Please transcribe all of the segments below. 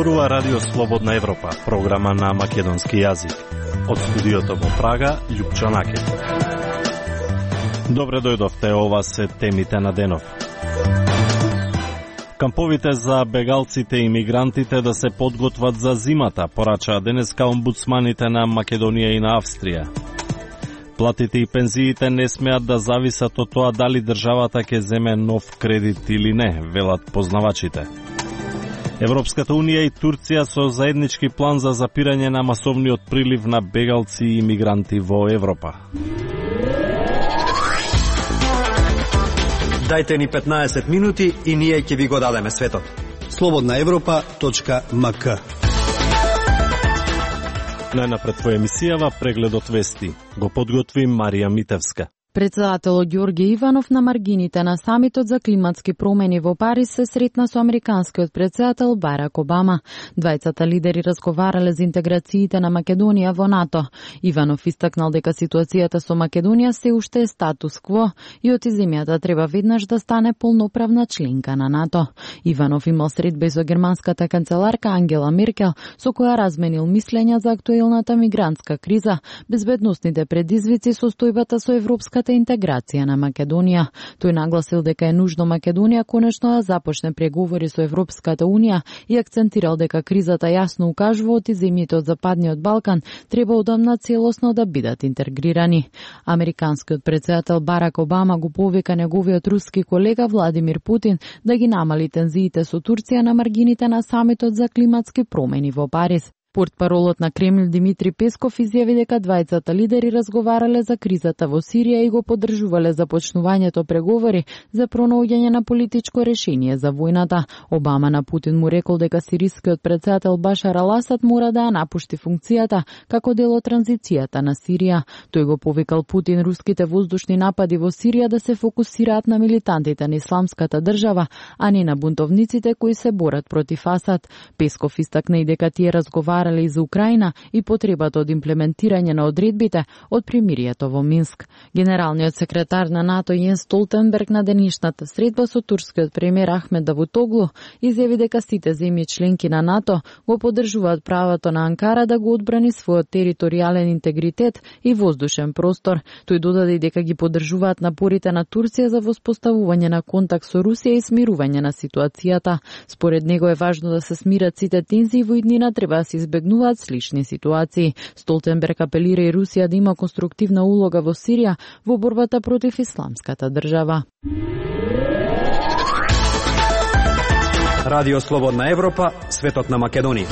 зборува Радио Слободна Европа, програма на македонски јазик. Од студиото во Прага, Љупчо Накет. Добре дојдовте, ова се темите на денов. Камповите за бегалците и мигрантите да се подготват за зимата, порачаа денеска омбудсманите на Македонија и на Австрија. Платите и пензиите не смеат да зависат од тоа дали државата ќе земе нов кредит или не, велат познавачите. Европската Унија и Турција со заеднички план за запирање на масовниот прилив на бегалци и мигранти во Европа. Дајте ни 15 минути и ние ќе ви го дадеме светот. slobodnaevropa.mk. Најнапред во емисијава прегледот вести. Го подготви Марија Митевска. Председателот Ѓорѓе Иванов на маргините на самитот за климатски промени во Париз се сретна со американскиот председател Барак Обама. Двајцата лидери разговарале за интеграциите на Македонија во НАТО. Иванов истакнал дека ситуацијата со Македонија се уште е статус кво и од земјата треба веднаш да стане полноправна членка на НАТО. Иванов имал средба со германската канцеларка Ангела Меркел, со која разменил мислења за актуелната мигрантска криза, безбедносните предизвици, состојбата со европска интеграција на Македонија. Тој нагласил дека е нужно Македонија конечно да започне преговори со Европската Унија и акцентирал дека кризата јасно укажува од земјите од Западниот Балкан треба одамна целосно да бидат интегрирани. Американскиот председател Барак Обама го повика неговиот руски колега Владимир Путин да ги намали тензиите со Турција на маргините на самитот за климатски промени во Париз. Портпаролот на Кремљ Димитри Песков изјави дека двајцата лидери разговарале за кризата во Сирија и го поддржувале започнувањето преговори за пронаоѓање на политичко решение за војната. Обама на Путин му рекол дека сирискиот председател Башар Ал-Асад мора да ја напушти функцијата како дел од транзицијата на Сирија. Тој го повикал Путин руските воздушни напади во Сирија да се фокусираат на милитантите на исламската држава, а не на бунтовниците кои се борат против Асад. Песков истакна и дека тие разговарале и за Украина и потребата од имплементирање на одредбите од примирието во Минск. Генералниот секретар на НАТО Јенс Столтенберг на денешната средба со турскиот премиер Ахмед Давутоглу изјави дека сите земји членки на НАТО го поддржуваат правото на Анкара да го одбрани својот територијален интегритет и воздушен простор. Тој додаде дека ги поддржуваат напорите на Турција за воспоставување на контакт со Русија и смирување на ситуацијата. Според него е важно да се смират сите тензии во иднина, треба да се избегнуваат слични ситуации. Столтенберг апелира и Русија да има конструктивна улога во Сирија во борбата против исламската држава. Радио Слободна Европа, светот на Македонија.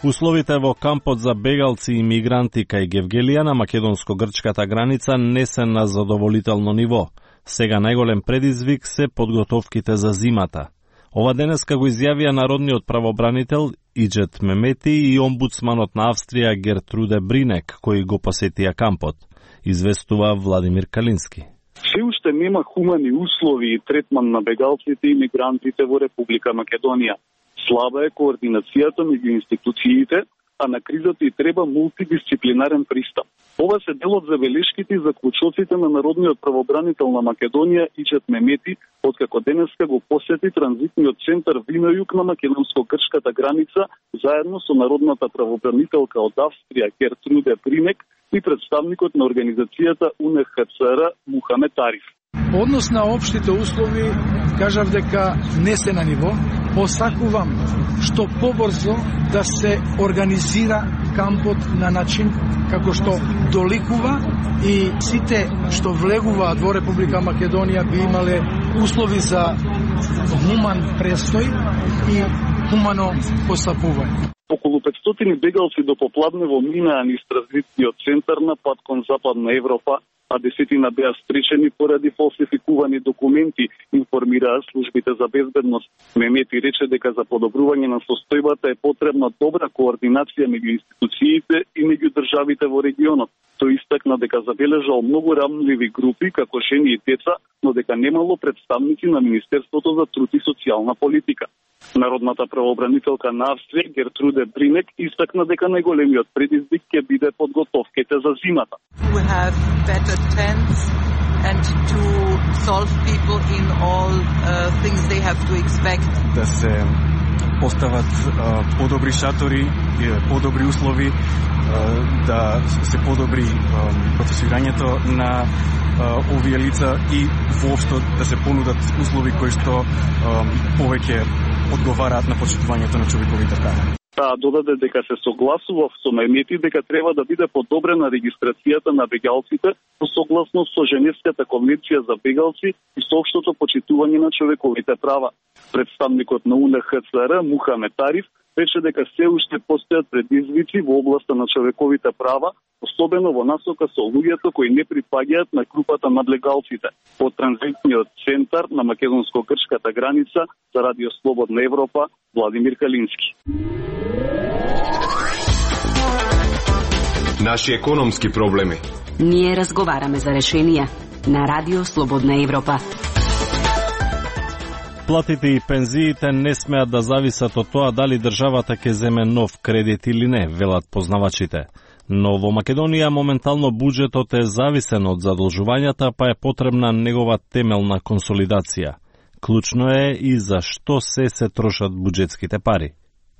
Условите во кампот за бегалци и мигранти кај Гевгелија на македонско-грчката граница не се на задоволително ниво. Сега најголем предизвик се подготовките за зимата. Ова денеска го изјавија народниот правобранител Иџет Мемети и омбудсманот на Австрија Гертруде Бринек, кои го посетија кампот. Известува Владимир Калински. Се уште нема хумани услови и третман на бегалците и мигрантите во Република Македонија. Слаба е координацијата меѓу институциите, а на кризата и треба мултидисциплинарен пристап. Ова се дел од забелешките и заклучоците на народниот правобранител на Македонија Иџет Мемети, откако денеска го посети транзитниот центар Винојуг на македонско-грчката граница, заедно со народната правобранителка од Австрија Гертруде Бринек и представникот на организацијата УНХЦР Мухамед Ариф. Однос на општите услови, кажав дека не се на ниво. Посакувам што побрзо да се организира кампот на начин како што доликува и сите што влегуваат во Република Македонија би имале услови за хуман престој и хумано постапување. Околу 500 бегалци до попладнево минаа низ транзитниот центар на пат кон Западна Европа, а десетина беа спречени поради фалсификувани документи, информираа службите за безбедност. Мемети рече дека за подобрување на состојбата е потребна добра координација меѓу институциите и меѓу државите во регионот. Тој истакна дека забележал многу рамливи групи, како жени и деца, но дека немало представници на Министерството за труд и социјална политика. Народната правобранителка на Австрија Гертруде Бринек истакна дека најголемиот предизвик ќе биде подготовките за зимата. And to solve people in all things they have to expect. Да се постават подобри шатори, подобри услови, да се подобри процесирањето на овие лица и воопшто да се понудат услови кои што повеќе одговараат на почитувањето на човековите права. Таа додаде дека се согласува со најмети дека треба да биде подобрена регистрацијата на бегалците согласно со Женевската конвенција за бегалци и соопштото почитување на човековите права. Представникот на УНХЦР Мухамед Тариф рече дека се уште постојат предизвици во областа на човековите права, особено во насока со луѓето кои не припаѓаат на групата на легалците. Од транзитниот центар на македонско-грчката граница за Радио Слободна Европа, Владимир Калински. Наши економски проблеми. Ние разговараме за решенија на Радио Слободна Европа. Платите и пензиите не смеат да зависат од тоа дали државата ќе земе нов кредит или не, велат познавачите. Но во Македонија моментално буџетот е зависен од задолжувањата, па е потребна негова темелна консолидација. Клучно е и за што се трошат буџетските пари.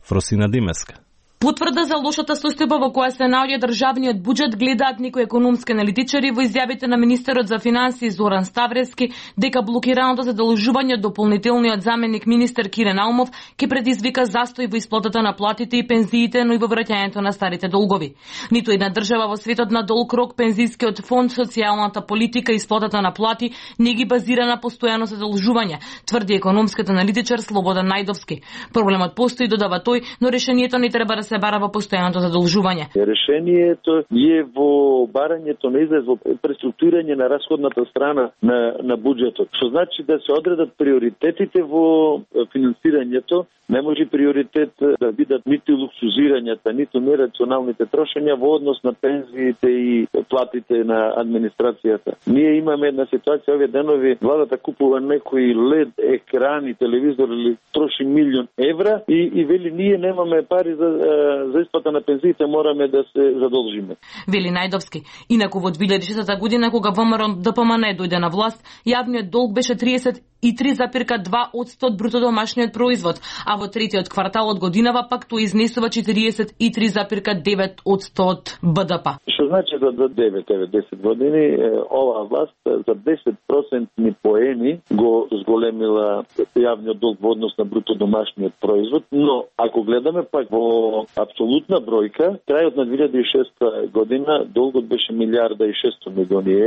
Фросина Димеска. Потврда за лошата состојба во која се наоѓа државниот буџет гледаат некои економски аналитичари во изјавите на министерот за финансии Зоран Ставревски дека блокираното задолжување од дополнителниот заменик министер Кирен Алмов ќе предизвика застој во исплатата на платите и пензиите, но и во враќањето на старите долгови. Ниту една држава во светот на долг рок пензискиот фонд, социјалната политика и исплатата на плати не ги базира на постојано задолжување, тврди економскиот аналитичар Слободан Најдовски. Проблемот постои, додава тој, но решението не треба да се бара во постојаното задолжување. Решението е во барањето на излез во преструктурирање на расходната страна на буџетот, што значи да се одредат приоритетите во финансирањето. Не може приоритет да бидат ниту луксузирањата, ниту нерационалните трошења во однос на пензиите и платите на администрацијата. Ние имаме една ситуација овие денови, владата купува некои LED екрани, телевизор или троши милион евра и вели ние немаме пари за исплата на пензиите, мораме да се задолжиме. Вели Најдовски. Инаку во 2006 година кога ВМРО ДПМН дојде на власт, јавниот долг беше 33,2% од бруто домашниот производ, а во третиот квартал од годинава пак тој изнесува 43,9% од БДП. Што значи за 9-10 години оваа власт за 10% поени го зголемила јавниот долг во однос на бруто домашниот производ, но ако гледаме пак во апсолутна бројка, крајот на 2006 година долгот беше 1,6 милиарди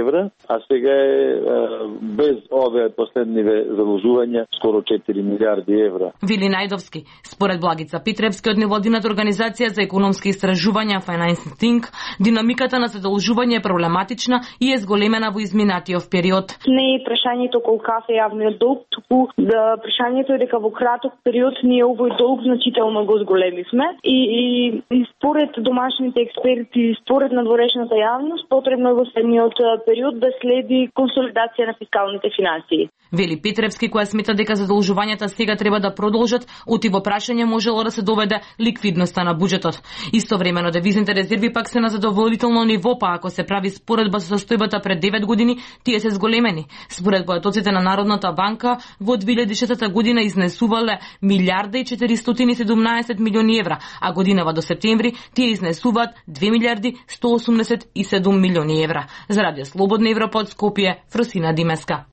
евра, а сега е без овие последниве заложувања скоро 4 милиарди евра. Вели Најдовски. Според Благица Питревски од невладината организација за економски истражувања Financing Think, динамиката на задолжување е проблематична и е зголемена во изминатиот период. Не е прашањето колкав е јавниот долг, туку прашањето е дека во краток период ние овој долг значително го зголемивме и според домашните експерти, според надворешната јавност, потребно е во следниот период да следи консолидација на фискалните финансии. Вели Петревски, која смета дека задолжувањата сега треба да продолжат, оти во прашање можело да се доведе ликвидноста на буџетот. Истовремено девизните резерви пак се на задоволително ниво, па ако се прави споредба со состојбата пред 9 години, тие се зголемени. Според поетоците на Народната банка, во 2006 година изнесувале 1,417 милиони евра, а годинава до септември тие изнесуваат 2,187 милиони евра. За Радио Слободна Европа од Скопје, Фросина Димеска.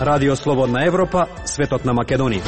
Радио Слободна Европа, светот на Македонија.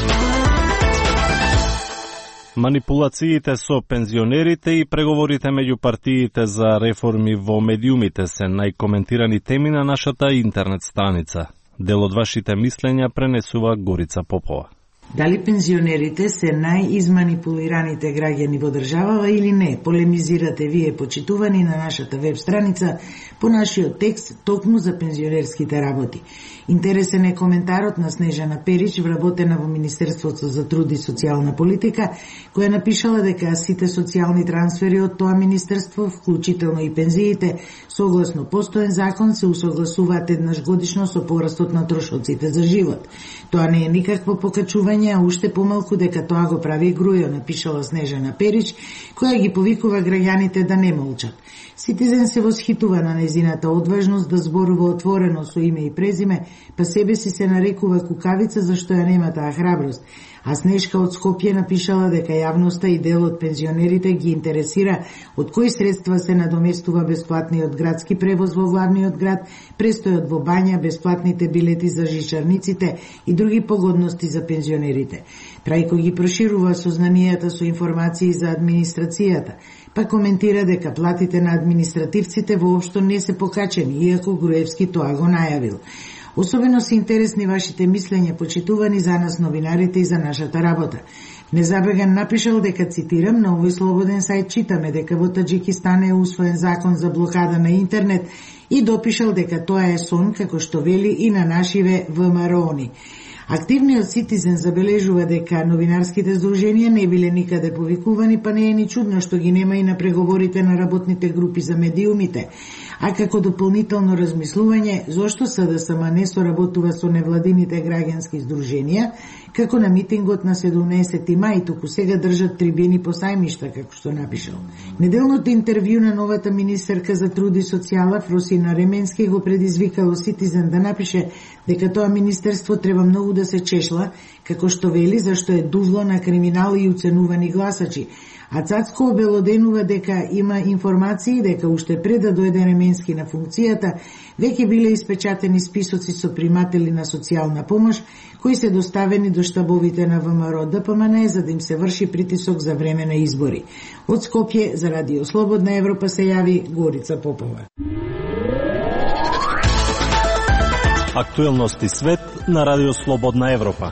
Манипулациите со пензионерите и преговорите меѓу партиите за реформи во медиумите се најкоментирани теми на нашата интернет страница. Дел од вашите мислења пренесува Горица Попова. Дали пензионерите се најизманипулираните граѓани во државава или не? Полемизирате вие, почитувани, на нашата веб страница по нашиот текст токму за пензионерските работи. Интересен е коментарот на Снежана Перич, вработена во Министерството за труд и социјална политика, која напишала дека сите социјални трансфери од тоа министерство, вклучително и пензиите, согласно постоен закон, се усогласуваат еднаш годишно со порастот на трошоците за живот. Тоа не е никакво покачување, а уште помалку дека тоа го прави Грујо, напишала Снежана Перич, која ги повикува граѓаните да не молчат. Ситизен се восхитува на нејзината одважност да зборува отворено со име и презиме, па себе си се нарекува кукавица зашто ја нема таа храброст. А Снежка од Скопје напишала дека јавноста и дел од пензионерите ги интересира од кои средства се надоместува бесплатниот градски превоз во главниот град, престојот во бања, бесплатните билети за жичарниците и други погодности за пензионерите. Трајко ги проширува сознанијата со информации за администрацијата, па коментира дека платите на административците воопшто не се покачени, иако Груевски тоа го најавил. Особено се интересни вашите мислења, почитувани за нас новинарите и за нашата работа. Незабеган напишал дека, цитирам, на овој слободен сајт читаме дека во Таџикистан е усвоен закон за блокада на интернет и допишал дека тоа е сон, како што вели и на нашиве ВМРО-ни. Активниот Citizen забележува дека новинарските здруженија не биле никаде повикувани, па не е ни чудно што ги нема и на преговорите на работните групи за медиумите. А како дополнително размислување, зошто СДСМ не соработува со невладините граѓански здруженија, како на митингот на 17 мај, туку сега држат трибини по сајмишта, како што напишал. Неделното интервју на новата министерка за труд и социјала Фросина Ременски го предизвикало Citizen да напише дека тоа министерство треба многу да се чешла, како што вели, зашто е дувло на криминал и уценувани гласачи. А Цацко обелоденува дека има информации дека уште пред да дојде Ременски на функцијата, веќе биле испечатени списоци со приматели на социјална помош, кои се доставени до штабовите на ВМРО ДПМН за да им се врши притисок за време на избори. Од Скопје за Радио Слободна Европа се јави Горица Попова. Актуелности свет на Радио Слободна Европа.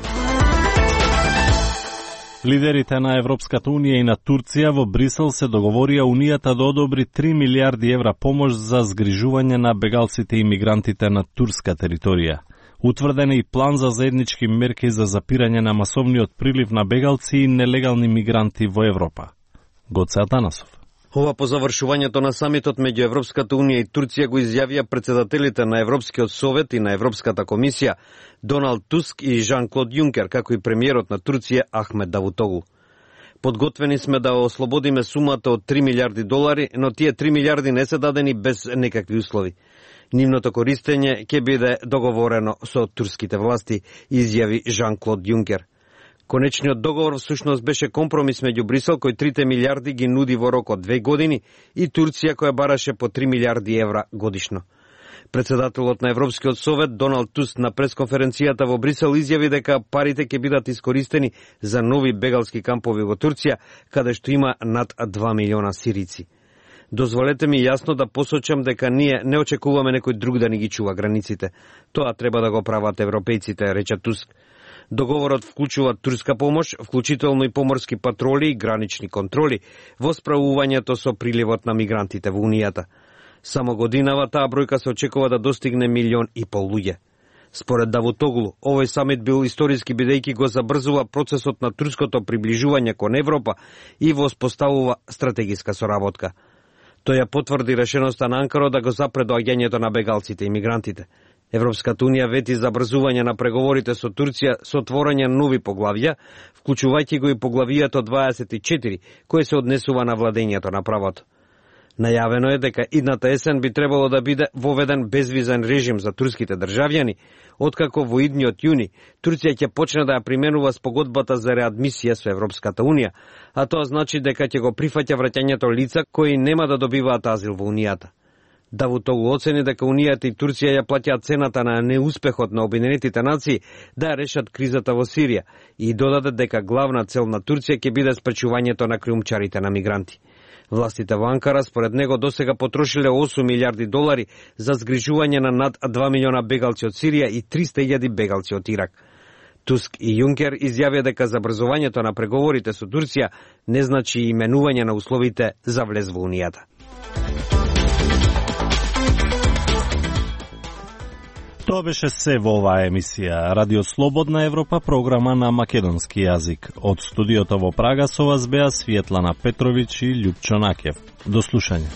Лидерите на Европската Унија и на Турција во Брисел се договорија Унијата да одобри 3 милиарди евра помош за згрижување на бегалците и мигрантите на турска територија. Утврден е и план за заеднички мерки за запирање на масовниот прилив на бегалци и нелегални мигранти во Европа. Гоце Атанасов. Ова по завршувањето на самитот меѓу Европската Унија и Турција го изјавија председателите на Европскиот совет и на Европската комисија Доналд Туск и Жан-Клод Јункер, како и премиерот на Турција Ахмед Давутоглу. Подготвени сме да ослободиме сумата од 3 милиарди долари, но тие 3 милиарди не се дадени без некакви услови. Нивното користење ќе биде договорено со турските власти, изјави Жан-Клод Јункер. Конечниот договор всушност беше компромис меѓу Брисел, кој 3 милиарди ги нуди во рок од 2 години, и Турција, која бараше по 3 милиарди евра годишно. Председателот на Европскиот совет Доналд Туск на пресконференцијата во Брисел изјави дека парите ќе бидат искористени за нови бегалски кампови во Турција, каде што има над 2 милиона сирици. Дозволете ми јасно да посочам дека ние не очекуваме некој друг да ни ги чува границите. Тоа треба да го прават европејците, рече Туск. Договорот вклучува турска помош, вклучително и поморски патроли и гранични контроли во справувањето со приливот на мигрантите во Унијата. Само годинава таа бројка се очекува да достигне 1,5 милион луѓе. Според Давутоглу, овој самит бил историски бидејќи го забрзува процесот на турското приближување кон Европа и воспоставува стратегиска соработка. Тој ја потврди решеноста на Анкара да го запре доаѓањето на бегалците и мигрантите. Европската Унија вети забрзување на преговорите со Турција со отворање нови поглавја, вклучувајќи го и поглавијето 24, кое се однесува на владењето на правото. Најавено е дека идната есен би требало да биде воведен безвизен режим за турските државјани, откако во идниот јуни Турција ќе почне да ја применува спогодбата за реадмисија со Европската Унија, а тоа значи дека ќе го прифаќа враќањето лица кои нема да добиваат азил во Унијата. Давутоглу оцени дека Унијата и Турција ја плаќаат цената на неуспехот на Обединетите нации да ја решат кризата во Сирија и додаде дека главна цел на Турција ќе биде спречувањето на криумчарите на мигранти. Властите во Анкара според него досега потрошиле 8 милиарди долари за згрижување на над 2 милиона бегалци од Сирија и 300.000 бегалци од Ирак. Туск и Јункер изјавија дека забрзувањето на преговорите со Турција не значи именување на условите за влез во Унијата. Тоа беше се во оваа емисија. Радио Слободна Европа, програма на македонски јазик. Од студиото во Прага со вас беа Светлана Петровиќ и Љупчо Накев. До слушање.